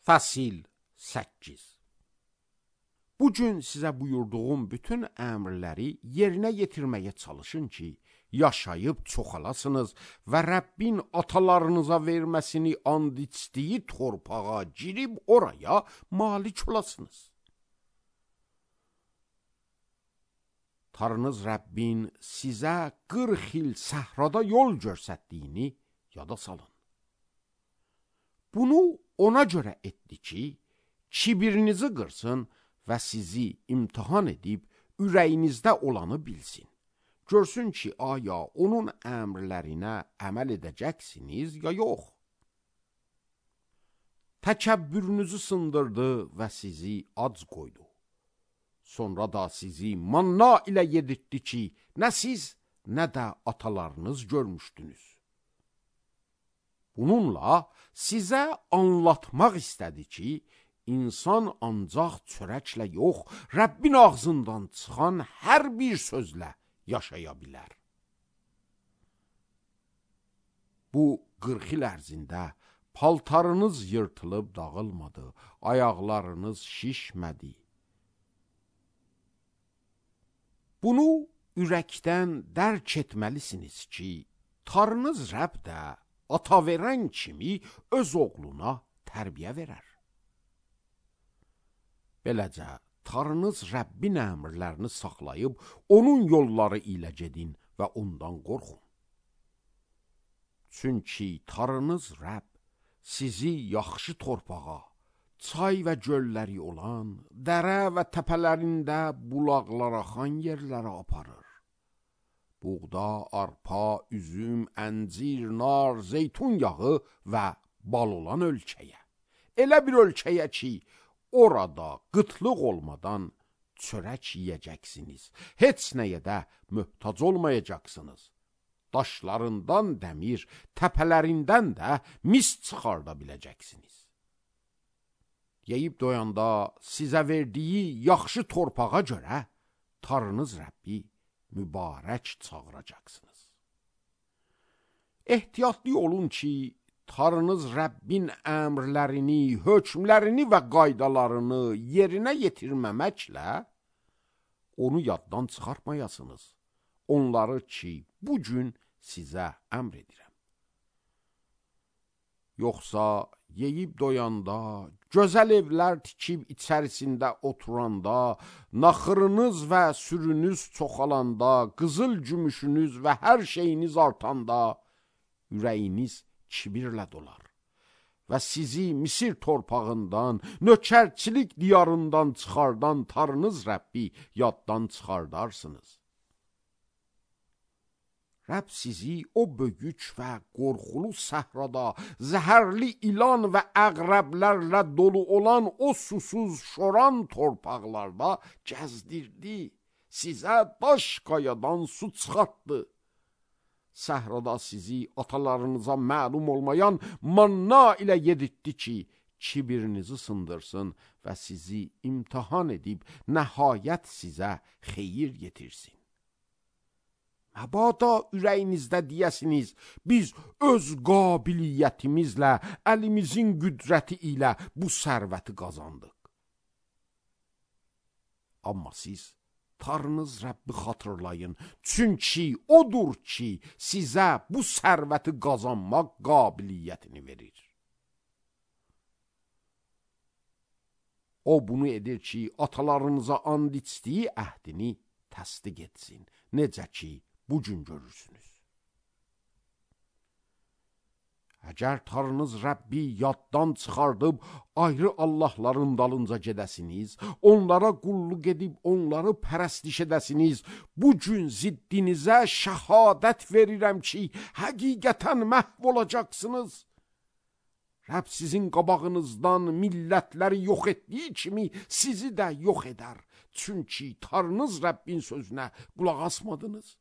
Fəsil 8. Bugün sizə buyurduğum bütün əmrləri yerinə yetirməyə çalışın ki, yaşayıb çoxalasınız və Rəbbin atalarınıza verməsini and içdiyi torpağa girib oraya malik olasınız. Tanrınız Rəbbin sizə 40 il səhrada yol göstərdiyini yada salın. Bunu ona görə etdi ki, kibirinizi qırsın və sizi imtihan edib ürəyinizdə olanı bilsin. Görsün ki, aya onun əmrlərinə əməl edəcəksiniz ya yox. Təkəbbürünüzü sındırdı və sizi ac qoydu. Sonra da sizi manna ilə yedirtdi ki, nə siz, nə də atalarınız görmüşdünüz. Bununla sizə anlatmaq istədi ki, insan ancaq çörəklə yox, Rəbbin ağzından çıxan hər bir sözlə yaşaya bilər. Bu 40 il ərzində paltarınız yırtılıb dağılmadı, ayaqlarınız şişmədi. Bunu ürəkdən dərk etməlisiniz ki, Tanrınız Rəbb də ata verən kimi öz oğluna tərbiyə verər. Beləcə, Tanrınız Rəbbin əmrlərini saxlayıb, onun yolları ilə gedin və ondan qorxun. Çünki Tanrınız Rəbb sizi yaxşı torpağa, çay və gölləri olan, dərə və təpələrində bulaqlar axan yerlərə aparır. Buğda, arpa, üzüm, əncir, nar, zeytun yağı və bal olan ölkəyə. Elə bir ölkəyə ki, orada qıtlıq olmadan çörək yiyəcəksiniz. Heç nəyə də möhtac olmayacaqsınız. Daşlarından dəmir, təpələrindən də mis çıxarda biləcəksiniz. Yeyib doyanda sizə verdiyi yaxşı torpağa görə Tanrınız Rəbbi mübarək çağıracaqsınız. Ehtiyatlı olun ki, Tanrınız Rəbbin əmrlərini, hökmlərini və qaydalarını yerinə yetirməməklə onu yaddan çıxartmayasınız. Onları ki, bugün sizə əmr edirəm. Yoxsa yeyib doyanda, gözəl evlər tikib içərisində oturanda, naxırınız və sürünüz çoxalanda, qızıl gümüşünüz və hər şeyiniz artanda, ürəyiniz kibirlə dolar və sizi Misir torpağından, nökərçilik diyarından çıxardan Tanrınız Rəbbi yaddan çıxardarsınız. Rəbb sizi o böyük və qorxulu səhrada, zəhərli ilan və əqrəblərlə dolu olan o susuz, şoran torpaqlarda gəzdirdi. Sizə daş qayadan su çıxartdı. Səhrada sizi atalarınıza məlum olmayan manna ilə yedirtdi ki, kibirinizi sındırsın və sizi imtihan edib nəhayət sizə xeyir yetirsin. Məbada ürəyinizdə deyəsiniz, biz öz qabiliyyətimizlə, əlimizin qüdrəti ilə bu sərvəti qazandıq. Amma siz Tanrınız Rəbbi xatırlayın, çünki odur ki, sizə bu sərvəti qazanmaq qabiliyyətini verir. O bunu edir ki, atalarınıza and içdiyi əhdini təsdiq etsin, necə ki, bugün görürsünüz. Əgər Tanrınız Rəbbi yaddan çıxardıb ayrı Allahların dalınca gedəsiniz, onlara qulluq edib onları pərəstiş edəsiniz, bugün ziddinizə şəhadət verirəm ki, həqiqətən məhv olacaqsınız. Rəbb sizin qabağınızdan millətləri yox etdiyi kimi sizi də yox edər. Çünki Tanrınız Rəbbin sözünə qulaq asmadınız.